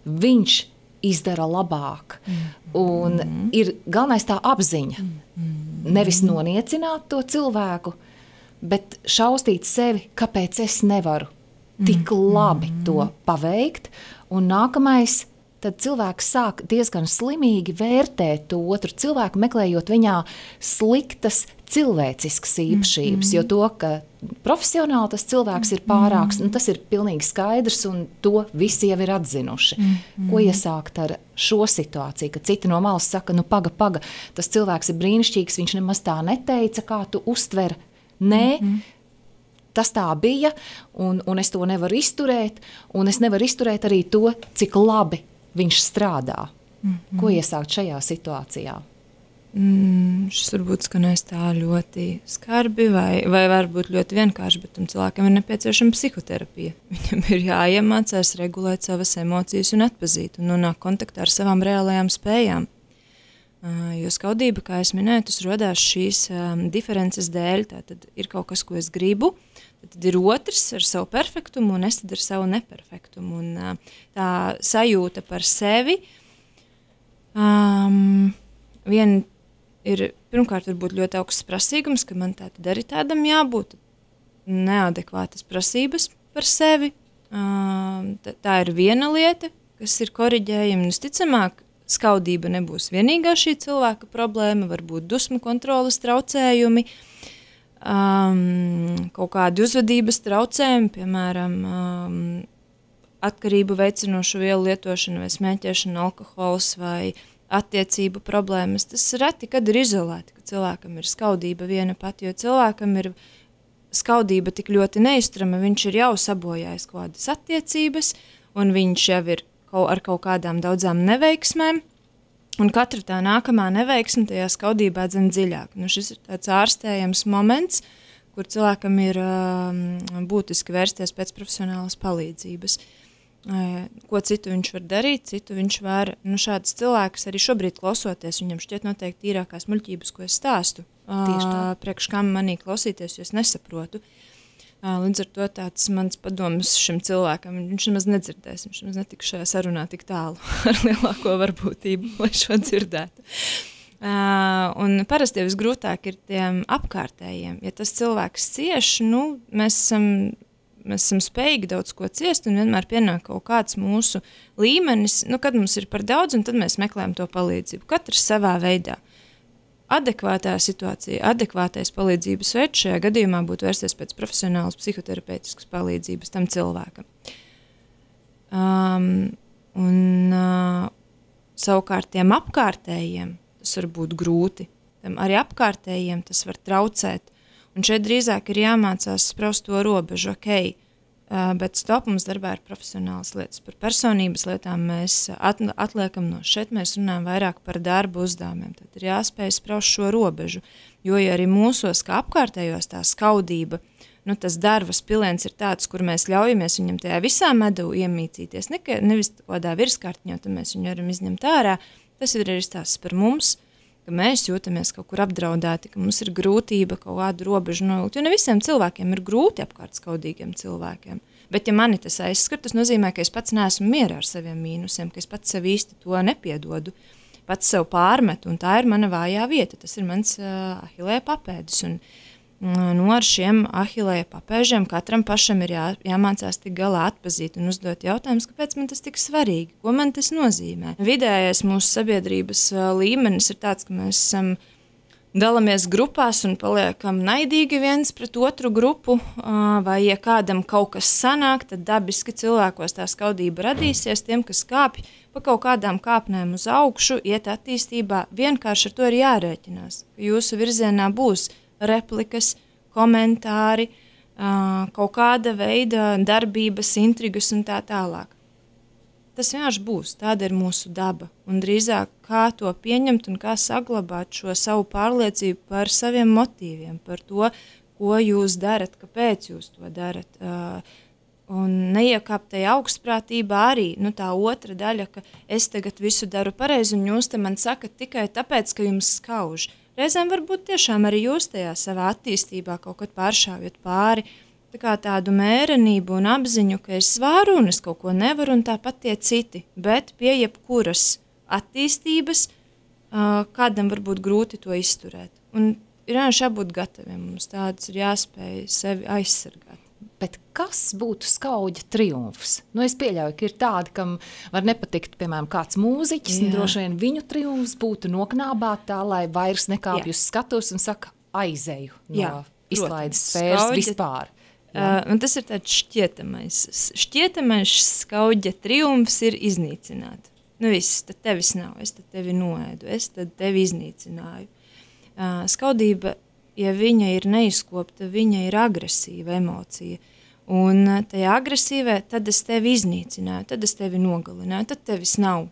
viņš izdara labāk. Un ir galvenais tā apziņa. Nevis noniecināt to cilvēku, bet šaustīt sevi, kāpēc es nevaru tik labi to paveikt. Un nākamais, tad cilvēks sāk diezgan slimīgi vērtēt to otru cilvēku, meklējot viņā sliktas cilvēciskas īpašības, jo to, ka profesionāli tas cilvēks ir pārāks, tas ir pilnīgi skaidrs, un to visi jau ir atzinuši. Ko iesākt ar šo situāciju, ka citi no malas saka, paga, tas cilvēks ir brīnišķīgs, viņš nemaz tā neteica, kā tu uztver. Nē, tas tā bija, un es to nevaru izturēt, un es nevaru izturēt arī to, cik labi viņš strādā. Ko iesākt šajā situācijā? Šis varbūt skanēs tā ļoti skarbi vai varbūt ļoti vienkārši, bet tam cilvēkam ir nepieciešama psihoterapija. Viņam ir jāiemācās regulēt savas emocijas un atpazīt un nonākt kontaktā ar savām reālajām spējām. Jo skaudība, kā es minēju, tas rodās šīs diferences dēļ. Tātad ir kaut kas, ko es gribu, tad ir otrs ar savu perfektumu un es tad ar savu neperfektumu. Un tā sajūta par sevi vien ir pirmkārt varbūt ļoti augsts prasīgums, ka man tātad arī tādam jābūt, neadekvātas prasības par sevi. Tā ir viena lieta, kas ir koriģējama, un visticamāk, skaudība nebūs vienīgā šī cilvēka problēma, varbūt dusmu kontroles traucējumi, kaut kādi uzvedības traucējumi, piemēram, atkarību veicinošu vielu lietošana vai smēķēšana, alkohols vai attiecību problēmas. Tas reti, kad ir izolēti, ka cilvēkam ir skaudība viena pati, jo cilvēkam ir skaudība tik ļoti neizturama, viņš ir jau sabojājis kaut kādas attiecības, un viņš jau ir ar kaut kādām daudzām neveiksmēm, un katra tā nākamā neveiksme tajā skaudībā dzen dziļāk. Šis ir tāds ārstējams moments, kur cilvēkam ir būtiski vērsties pēc profesionālas palīdzības. Ko citu viņš var darīt, citu viņš var, šāds cilvēks arī šobrīd klausoties, viņam šķiet noteikti tīrākās muļķības, ko es stāstu. Priekš kam manī klausīties, jo es nesaprotu. Līdz ar to tāds mans padoms šim cilvēkam, viņš nemaz nedzirdēs, viņš nemaz netika šajā sarunā tik tālu ar lielāko varbūtību, lai šo dzirdētu. Un parasti jau visgrūtāk ir tiem apkārtējiem. Ja tas cilvēks cieš, mēs esam spējīgi daudz ko ciest, un vienmēr pienāk kaut kāds mūsu līmenis, kad mums ir par daudz, un tad mēs meklējam to palīdzību. Katrs savā veidā. Adekvātā situācija, adekvātais palīdzības veids šajā gadījumā būtu vērsties pēc profesionālas psihoterapeitiskas palīdzības tam cilvēkam. Savukārt tiem apkārtējiem tas var būt grūti. Arī apkārtējiem tas var traucēt. Un šeit drīzāk ir jāmācās spraust to robežu, bet stop, mums darbā ir profesionālas lietas. Par personības lietām mēs atliekam no šeit, mēs runājam vairāk par darbu uzdevumiem. Tad ir jāspēj spraust šo robežu, jo ja arī mūsos, kā apkārtējos tā skaudība, tas darvas piliens ir tāds, kur mēs ļaujamies viņam tajā visā medu iemīcīties, nevis kādā virskārtņā, tad mēs viņu varam izņemt ārā. Tas ir arī stāsts par mums, ka mēs jūtamies kaut kur apdraudēti, ka mums ir grūtība kaut kādu robežu nolikt, jo ne visiem cilvēkiem ir grūti apkārt skaudīgiem cilvēkiem. Bet ja mani tas aizskar, tas nozīmē, ka es pats neesmu mierā ar saviem mīnusiem, ka es pats sev īsti to nepiedodu, pats sev pārmetu, un tā ir mana vājā vieta, tas ir mans ahilēja papēdis, un ar šiem ahilēja papēžiem katram pašam ir jāmācās tik galā atpazīt un uzdot jautājumus, kāpēc man tas tik svarīgi, ko man tas nozīmē. Vidējais mūsu sabiedrības līmenis ir tāds, ka mēs dalāmies grupās un paliekam naidīgi viens pret otru grupu, vai ja kādam kaut kas sanāk, tad dabiski cilvēkos tā skaudība radīsies, tiem, kas kāpj, pa kaut kādām kāpnēm uz augšu, iet attīstībā, vienkārši ar to ir jārēķinās, ka jūsu virzienā būs replikas, komentāri, kaut kāda veida darbības, intrigas un tā tālāk. Tas vienkārši būs, tāda ir mūsu daba, un drīzāk kā to pieņemt un kā saglabāt šo savu pārliecību par saviem motīviem, par to, ko jūs darat, kāpēc jūs to darat. Un neiekāpt tajā augstprātībā arī tā otra daļa, ka es tagad visu daru pareizi, un jūs te man sakat tikai tāpēc, ka jums skauž. Reizēm varbūt tiešām arī jūs tajā savā attīstībā kaut kad pāršāvjat pāri, tā kā tādu mērenību un apziņu, ka es varu un es kaut ko nevaru, un tāpat tie citi, bet pie jebkuras attīstības kādam varbūt grūti to izturēt. Un ir jābūt gataviem, mums tāds ir jāspēj sevi aizsargāt. Bet kas būtu skauģa triumfs? Es pieļauju, ka ir tādi, kam var nepatikt, piemēram, kāds mūziķis, un droši vien viņu triumfs būtu noknābāt tā, lai vairs nekāpj uz skatos un saka aizeju no izklaides sfēras vispār. Un tas ir tāds šķietamais skauģa triumfs ir iznīcināt. Viss, tad tevis nav, es tad tevi noēdu, es tad tevi iznīcināju. Skaudība, ja viņa ir neizkopta, viņa ir agresīva emocija. Un tajā agresīvē, tad es tevi iznīcināju, tad es tevi nogalināju, tad tevis nav.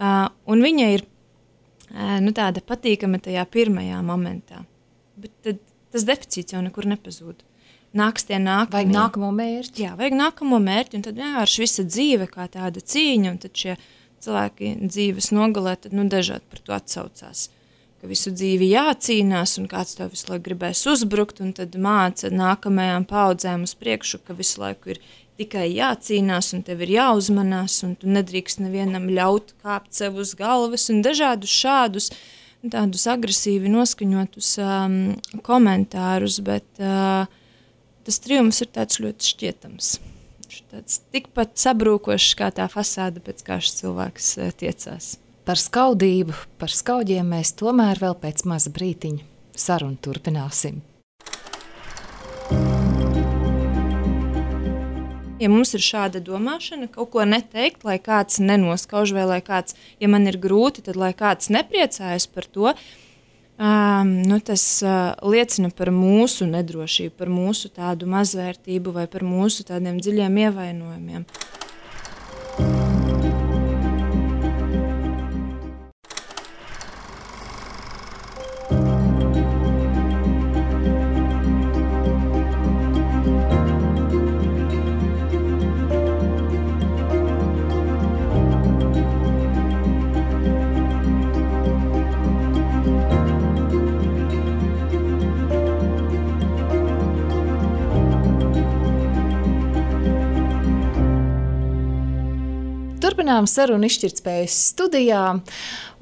Un viņa ir tāda patīkama tajā pirmajā momentā. Bet tad tas deficīts jau nekur nepazūd. Nāks tie nākamie. Vajag nākamo mērķi. Jā, vajag nākamo mērķi, un tad vienkārši visa dzīve kā tāda cīņa, un tad šie cilvēki dzīves nogalē, tad dažādi par to atsaucās. Ka visu dzīvi jācīnās, un kāds tev visu laiku gribēs uzbrukt, un tad māca nākamajām paudzēm uz priekšu, ka visu laiku ir tikai jācīnās, un tev ir jāuzmanās, un tu nedrīkst nevienam ļaut kāpt sev uz galvas, un dažādus šādus, tādus agresīvi noskaņotus komentārus, bet tas triumfs ir tāds ļoti šķietams. Tāds tikpat sabrūkošs kā tā fasāde, pēc kā šis cilvēks tiecās. Par skaudību, par skaudiem mēs tomēr vēl pēc maza brītiņa sarunu turpināsim. Ja mums ir šāda domāšana, kaut ko neteikt, lai kāds nenoskauž, vai lai kāds, ja man ir grūti, tad lai kāds nepriecājas par to, tas liecina par mūsu nedrošību, par mūsu tādu mazvērtību vai par mūsu tādiem dziļiem ievainojumiem. Turpinām sarunu izšķirtspējas studijā,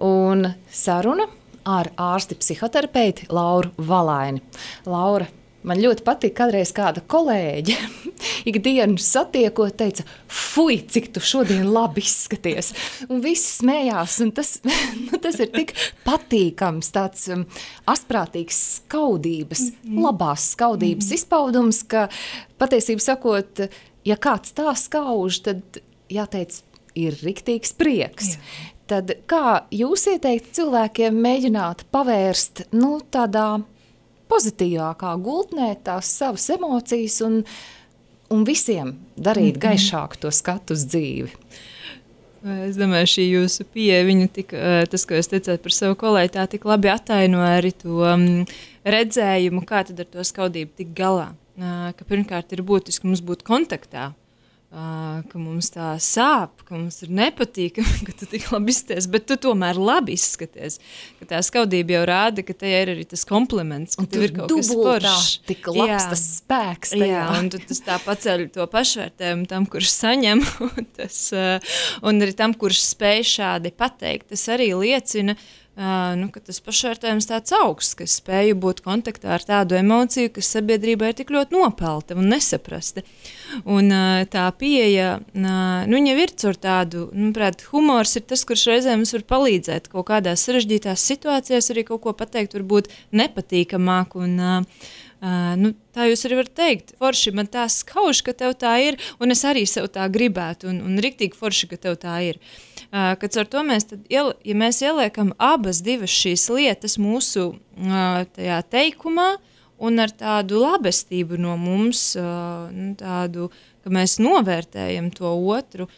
un saruna ar ārsti psihoterapeiti Lauru Valaini. Laura, man ļoti patīk, kādreiz kāda kolēģe ikdienu satiekot, teica, fuj, cik tu šodien labi izskaties. Un visi smējās, un tas ir tik patīkams, tāds asprātīgs skaudības, labās skaudības izpaudums, ka patiesību sakot, ja kāds tā skauž, tad jāteic, ir riktīgs prieks. Jā. Tad kā jūs ieteikt cilvēkiem mēģināt pavērst tādā pozitīvākā gultnē tās savas emocijas un visiem darīt gaišāku to skatu uz dzīvi? Es domāju, šī jūsu pieeja, tas, ko jūs teicāt par savu kolēģi, tā tik labi ataino arī to redzējumu, kā tad ar to skaudību tik galā. Ka pirmkārt ir būtiski mums būt kontaktā, ka mums tā sāp, ka mums ir nepatīkami, ka tu tik labi izskaties, bet tu tomēr labi izskaties. Ka tā skaudība jau rāda, ka tajā ir arī tas kompliments, ka tev ir kaut kas foršs. Tik labs tas spēks tajā. Jā, un tu tas tā paceļ to pašvērtējumu tam, kurš saņem, un arī tam, kurš spēj šādi pateikt. Tas arī liecina, ka tas pašvērtējums tāds augsts, ka spēju būt kontaktā ar tādu emociju, kas sabiedrībā ir tik ļoti nopelta un nesaprasta. Un tā pieeja, viņa ir caur tādu, humors ir tas, kurš reizēm mums var palīdzēt kaut kādās sarežģītās situācijās, arī kaut ko pateikt varbūt nepatīkamāk, Tā jūs arī varat teikt, forši man tā skauž, ka tev tā ir, un es arī sev tā gribētu, un riktīgi forši, ka tev tā ir. Kad ar to mēs, ja mēs ieliekam abas divas šīs lietas mūsu tajā teikumā, un ar tādu labestību no mums, tādu, ka mēs novērtējam to otru,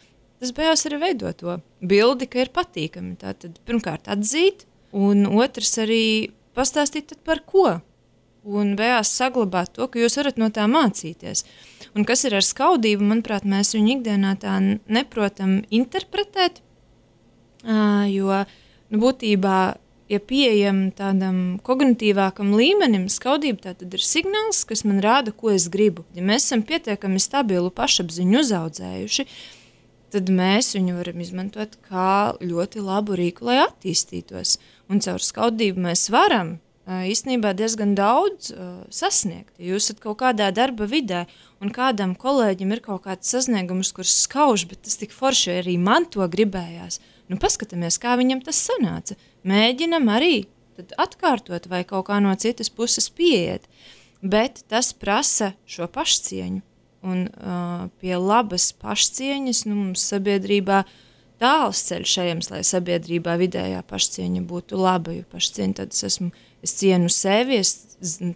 tas beigās arī veido to bildi, ka ir patīkami. Tātad pirmkārt atzīt, un otrs arī pastāstīt par ko. Un beigās saglabāt to, ka jūs varat no tā mācīties. Un kas ir ar skaudību, manuprāt, mēs viņu ikdienā tā neprotam interpretēt, jo būtībā, ja pieejam tādam kognitīvākam līmenim, skaudība tā tad ir signāls, kas man rāda, ko es gribu. Ja mēs esam pietiekami stabilu pašapziņu uzaudzējuši, tad mēs viņu varam izmantot kā ļoti labu rīku, lai attīstītos. Un caur skaudību mēs varam īstenībā diezgan daudz sasniegt. Ja jūs esat kaut kādā darba vidē un kādam kolēģim ir kaut kāds sasniegums, kurš skauž, bet tas tik forši arī man to gribējās. Paskatāmies, kā viņam tas sanāca. Mēģinam arī atkārtot vai kaut kā no citas puses pieiet. Bet tas prasa šo pašcieņu. Un pie labas pašcieņas mums sabiedrībā tāls ceļš ejams, lai sabiedrībā vidējā pašcieņa būtu laba. Jo pašcieņa tad es cienu sevi, es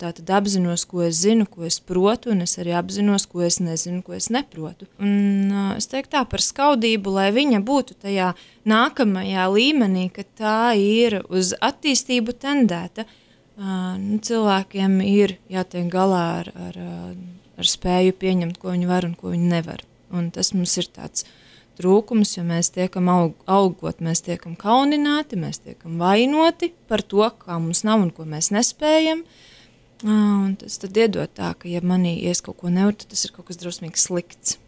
tātad apzinos, ko es zinu, ko es protu, un es arī apzinos, ko es nezinu, ko es neprotu. Un es teiktu tā par skaudību, lai viņa būtu tajā nākamajā līmenī, ka tā ir uz attīstību tendēta. Cilvēkiem ir jātiek galā ar spēju pieņemt, ko viņi var un ko viņi nevar. Un tas mums ir tāds trūkums, jo mēs tiekam augot, mēs tiekam kaunināti, mēs tiekam vainoti par to, kā mums nav un ko mēs nespējam. Un tas tad iedod tā, ka ja manī ies kaut ko nevar, tad tas ir kaut kas drausmīgi slikts.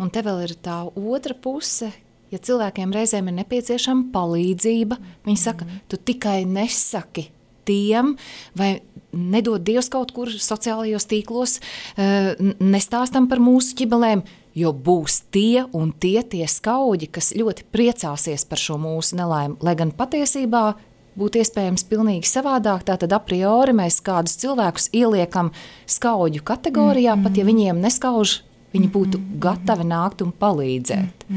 Un te vēl ir tā otra puse, ja cilvēkiem reizēm ir nepieciešama palīdzība, viņi saka, tu tikai nesaki tiem, vai nedod Dievs kaut kur sociālajos tīklos, nestāstam par mūsu ķibelēm, jo būs tie un tie skauģi, kas ļoti priecāsies par šo mūsu nelaimi, lai gan patiesībā būtu iespējams pilnīgi savādāk, tātad a priori mēs kādus cilvēkus ieliekam skauģu kategorijā, pat ja viņiem neskauž, viņi būtu gatavi nākt un palīdzēt.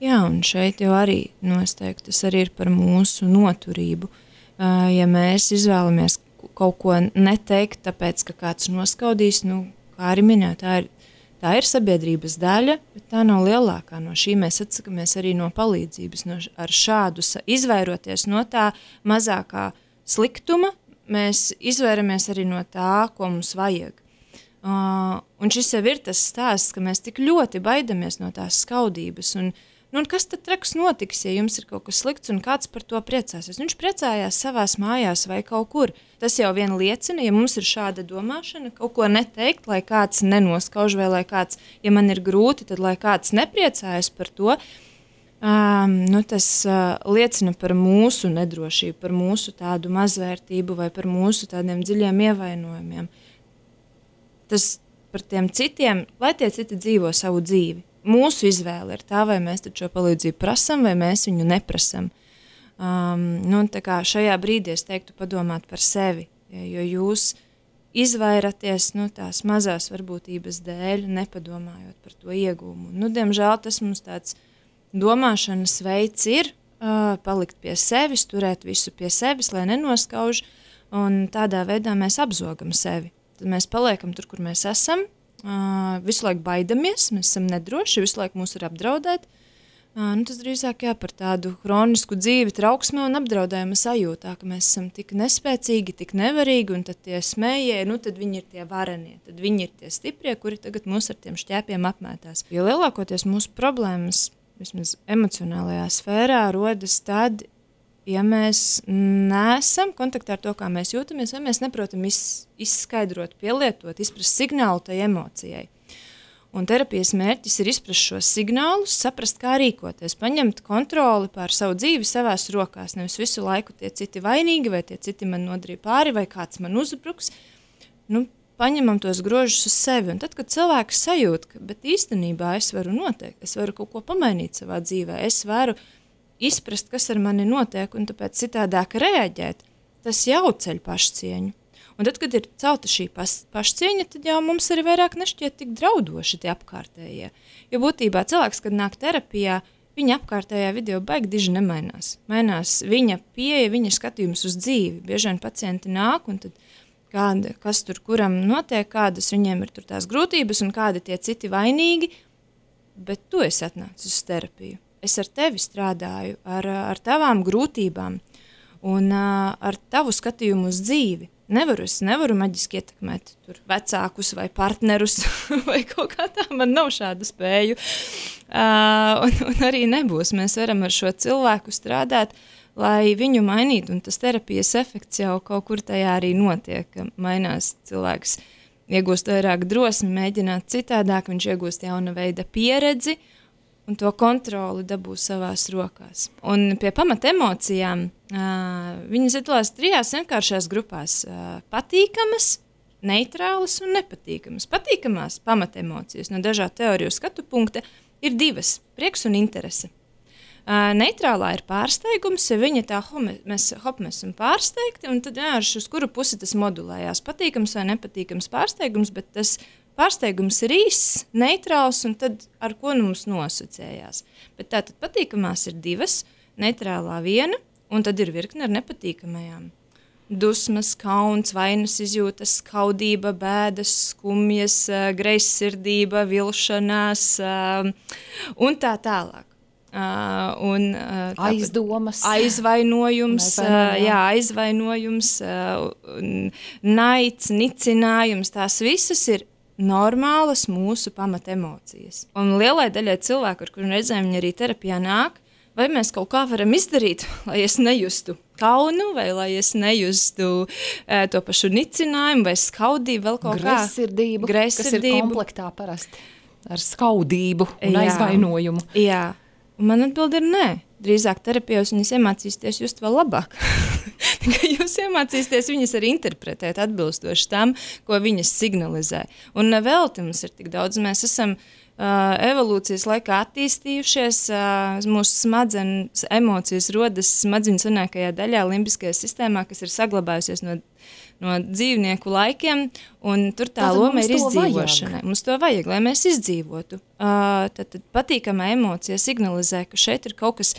Jā, un šeit jau arī nosteikti, tas arī ir par mūsu noturību. Ja mēs izvēlamies kaut ko neteikt, tāpēc, ka kāds noskaudīs, kā arī minēt, tā ir sabiedrības daļa, bet tā nav lielākā. No šī mēs atsakamies arī no palīdzības. Ar šādu izvairoties no tā mazākā sliktuma, mēs izvairamies arī no tā, ko mums vajag. Un šis jau ir tas stāsts, ka mēs tik ļoti baidamies no tās skaudības. Un kas tad traks notiks, ja jums ir kaut kas slikts un kāds par to priecāsies? Viņš priecājās savās mājās vai kaut kur. Tas jau vien liecina, ja mums ir šāda domāšana, kaut ko neteikt, lai kāds nenoskauž vai lai kāds, ja man ir grūti, tad lai kāds nepriecājas par to. Tas liecina par mūsu nedrošību, par mūsu tādu mazvērtību vai par mūsu tādiem dziļiem ievainojumiem. Tas par tiem citiem, lai tie citi dzīvo savu dzīvi. Mūsu izvēle ir tā, vai mēs šo palīdzību prasam, vai mēs viņu neprasam. Tā kā šajā brīdī es teiktu padomāt par sevi, jo jūs izvairaties tās mazās varbūtības dēļ, nepadomājot par to iegūmu. Diemžēl tas mums tāds domāšanas veids ir palikt pie sevis, turēt visu pie sevis, lai nenoskauž, un tādā veidā mēs apzogam sevi. Tad mēs paliekam tur, kur mēs esam, visu laiku baidamies, mēs esam nedroši, visu laiku mūs ir apdraudēt. Tas drīzāk par tādu hronisku dzīvi trauksmē un apdraudējuma sajūtā, ka mēs esam tik nespēcīgi, tik nevarīgi, un tad tie smējie, tad viņi ir tie varenie, tad viņi ir tie stiprie, kuri tagad mūs ar tiem šķēpiem apmētās. Jo lielākoties mūsu problēmas, vismaz emocionālajā sfērā, rodas tad, ja mēs neesam kontaktā ar to, kā mēs jūtamies, vai mēs neprotam izskaidrot, pielietot, izprast signālu tai emocijai. Un terapijas mērķis ir izprast šos signālus, saprast, kā rīkoties, paņemt kontroli pār savu dzīvi savās rokās, nevis visu laiku tie citi vainīgi, vai tie citi man nodarīja pāri, vai kāds man uzbruks. Paņemam tos grožus uz sevi, un tad, kad cilvēks sajūt, ka bet īstenībā es varu noteikt, es varu kaut ko pamainīt savā dzīvē, es varu izprast, kas ar mani notiek, un tāpēc citādāk reaģēt, tas jau ceļ pašcieņu. Un tad, kad ir celta šī pašcieņa, tad jau mums arī vairāk nešķiet tik draudoši tie apkārtējie. Jo būtībā cilvēks, kad nāk terapijā, viņa apkārtējā vide jau baigi diži nemainās. Mainās viņa pieeja, viņa skatījums uz dzīvi. Bieži vien pacienti nāk, un tad kas tur kuram notiek, kādas viņiem ir tur tās grūtības un kādi tie citi vainīgi, bet tu esi atnācis uz terapiju. Es ar tevi strādāju, ar tavām grūtībām un ar tavu skatījumu uz dzīvi. Es nevaru maģiski ietekmēt tur vecākus vai partnerus vai kaut kā tā, man nav šādu spēju. Un arī nebūs. Mēs varam ar šo cilvēku strādāt, lai viņu mainītu, un tas terapijas efekts jau kaut kur tajā arī notiek, ka mainās cilvēks, iegūst vairāk drosmi, mēģināt citādāk, viņš iegūst jauna veida pieredzi, un to kontroli dabū savās rokās. Un pie pamata emocijām viņas iedalās 3 vienkāršās grupās – patīkamas, neitrālas un nepatīkamas. Patīkamās pamata emocijas no dažādu teoriju skatu punkta ir 2 – prieks un interese. Neitrālā ir pārsteigums, ja viņa tā mēs esam pārsteigti, un tad vienkārši uz kuru pusi tas modulējās. Patīkams vai nepatīkams pārsteigums, bet tas pārsteigums ir īss, neitrāls, un tad ar ko mums nosacējās. Bet tātad patīkamās ir 2, neitrālā 1, un tad ir virkne ar nepatīkamajām. Dusmas, kauns, vainas izjūtas, skaudība, bēdas, skumjas, greizsirdība, vilšanās un tā tālāk. Aizdomas, aizvainojums, naids, nicinājums, tās visas ir normālas mūsu pamata emocijas. Un lielai daļai cilvēku, ar kuriem reizēm viņi arī terapijā nāk, vai mēs kaut kā varam izdarīt, lai es nejustu kaunu, vai lai es nejustu to pašu nicinājumu, vai skaudību, vēl kaut kā. Greizsirdību, kas ir komplektā parasti ar skaudību un aizvainojumu. Jā. Un man atbild ir nē. Drīzāk terapijos viņas iemācīsties just vēl labāk. Jūs iemācīsties viņas arī interpretēt atbilstoši tam, ko viņas signalizē. Un nevelti mums ir tik daudz. Mēs esam evolūcijas laikā attīstījušies, mūsu smadzenes emocijas rodas smadzeņu senākajā daļā, limbiskajā sistēmā, kas ir saglabājusies no dzīvnieku laikiem, un tur tā loma ir izdzīvošanai. Mums to vajag, lai mēs izdzīvotu. Tad patīkamā emocija signalizē, ka šeit ir kaut kas,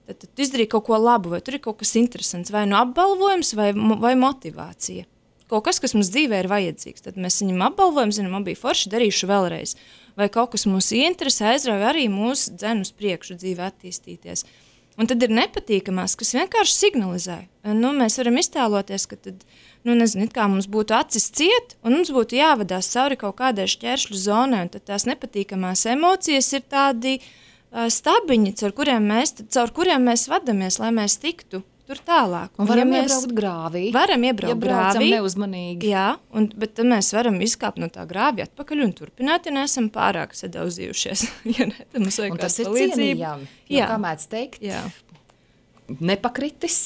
tad izdarīja kaut ko labu, vai tur ir kaut kas interesants, vai no apbalvojums, vai motivācija. Kaut kas, kas mums dzīvē ir vajadzīgs. Tad mēs viņam apbalvojam, zinām, man bija forši, darīšu vēlreiz. Vai kaut kas mūs ieinteresē, aizrauja arī mūsu dzen uz priekšu dzīvē attīstīties. Un tad ir nepatīkamās, kas vienkārši signalizē. Mēs varam iztēloties, ka tad, it kā mums būtu acis ciet, un mums būtu jāvadās cauri kaut kādai šķēršļu zonai, un tad tās nepatīkamās emocijas ir tādi stabiņi, caur kuriem mēs vadamies, lai mēs tiktu tur tālāk. Un varam iebraukt grāvī. Varam iebraukt grāvī. Neuzmanīgi. Jā, bet tad mēs varam izkāpt no tā grāvī atpakaļ un turpināt, ja neesam pārāk sadauzījušies. Ja ne, tad mums vajag un tas ir cienījami. Kā mēdz teikt, nepakritis,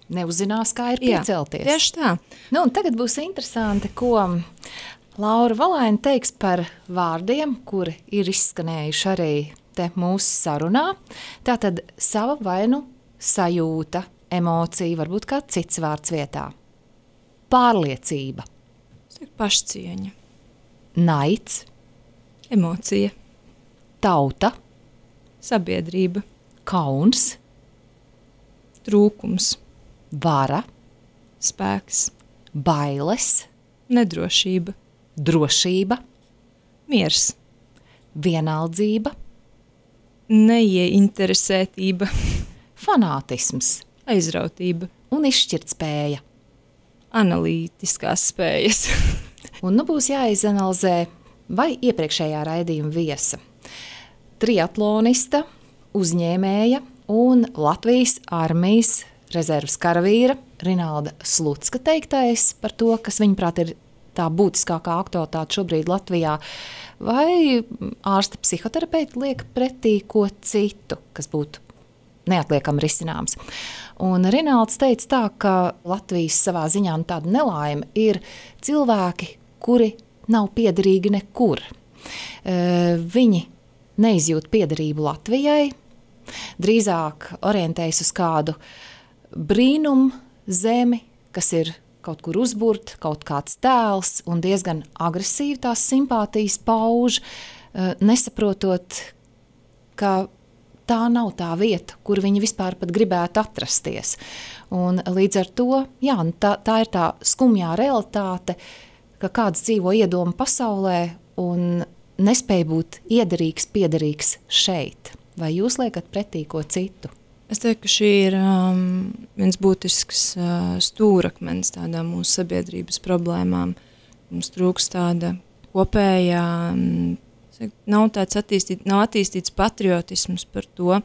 neuzzinās, kā ir piecelties. Tieši tā. Un tagad būs interesanti, ko Laura Valaine teiks par vārdiem, kuri ir izskanējuši arī te mūsu sarunā. Tātad sava vainu sajūta, emocija, varbūt kāds cits vārds vietā. Pārliecība. Pašcieņa. Naids. Emocija. Tauta. Sabiedrība. Kauns. Trūkums. Vara. Spēks. Bailes. Nedrošība. Drošība. Miers. Vienaldzība. Neieinteresētība. Fanātisms. Aizrautība. Un izšķirtspēja. Analītiskās spējas. Un būs jāizanalizē, vai iepriekšējā raidījuma viesa. Triatlonista, uzņēmēja un Latvijas armijas rezerves karavīra Rinalda Slucka teiktais par to, kas viņaprāt ir tā būtiskākā aktualitāte šobrīd Latvijā, vai ārsta psihoterapeiti liek pretī ko citu, kas būtu neatliekami risināms. Un Rinalds teica tā, ka Latvijas savā ziņā tāda nelaime ir cilvēki, kuri nav piederīgi nekur. Viņi neizjūt piederību Latvijai, drīzāk orientējas uz kādu brīnumu zemi, kas ir kaut kur uzburt, kaut kāds tēls un diezgan agresīvi tās simpātijas pauž, nesaprotot, ka tā nav tā vieta, kur viņi vispār pat gribētu atrasties. Un līdz ar to, jā, tā ir tā skumjā realitāte, ka kāds dzīvo iedomu pasaulē un nespēj būt iederīgs, piederīgs šeit. Vai jūs liekat pretī ko citu? Es teiktu, ka šī ir viens būtisks stūrakmens tādām mūsu sabiedrības problēmām. Mums trūkst tāda kopējā, nav attīstīts patriotisms par to,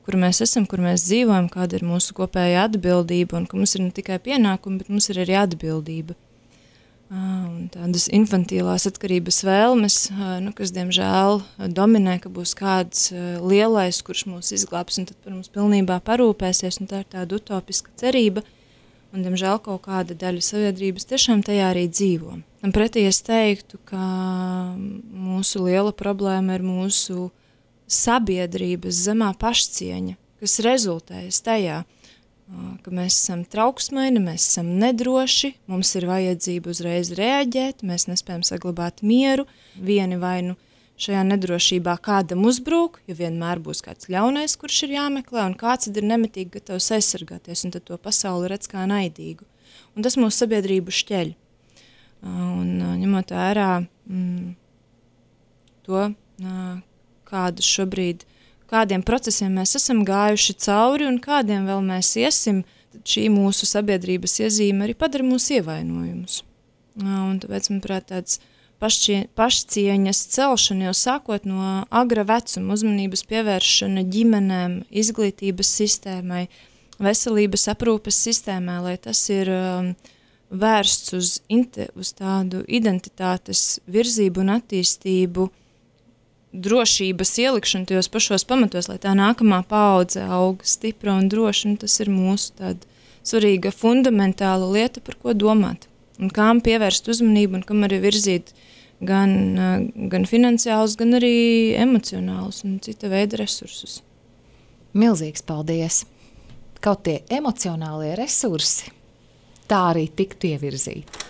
kur mēs esam, kur mēs dzīvojam, kāda ir mūsu kopējā atbildība, un ka mums ir ne tikai pienākumi, bet mums ir arī atbildība. Un tādas infantīlās atkarības vēlmes, kas diemžēl dominē, ka būs kāds lielais, kurš mūs izglābs un tad par mums pilnībā parūpēsies, un tā ir tāda utopiska cerība, un diemžēl kaut kāda daļa sabiedrības tiešām tajā arī dzīvo. Un pretī es teiktu, ka mūsu liela problēma ir mūsu sabiedrības zemā pašcieņa, kas rezultējas tajā, ka mēs esam trauksmaini, mēs esam nedroši, mums ir vajadzība uzreiz reaģēt, mēs nespējam saglabāt mieru, vieni vai nu šajā nedrošībā kādam uzbrūk, jo vienmēr būs kāds ļaunais, kurš ir jāmeklē, un kāds ir nemitīgi gatavs aizsargāties, un tad to pasauli redz kā naidīgu. Un tas mūsu sabiedrību šķeļ. Un ņemot vērā to, kādas šobrīd kādiem procesiem mēs esam gājuši cauri un kādiem vēl mēs iesim, tad šī mūsu sabiedrības iezīme arī padara mūsu ievainojumus. Un tāpēc, manuprāt, tāds pašcieņas celšana jau sākot no agra vecuma, uzmanības pievēršana ģimenēm, izglītības sistēmai, veselības aprūpes sistēmai, lai tas ir vērsts uz tādu identitātes virzību un attīstību, drošības ielikšanu tajos pašos pamatos, lai tā nākamā paudze aug stipra un droša, un tas ir mūsu tāda svarīga fundamentāla lieta, par ko domāt. Un kām pievērst uzmanību, un kam arī virzīt gan finansiālus, gan arī emocionālus un cita veida resursus. Milzīgs paldies! Kaut tie emocionālie resursi tā arī tiktu ievirzīti.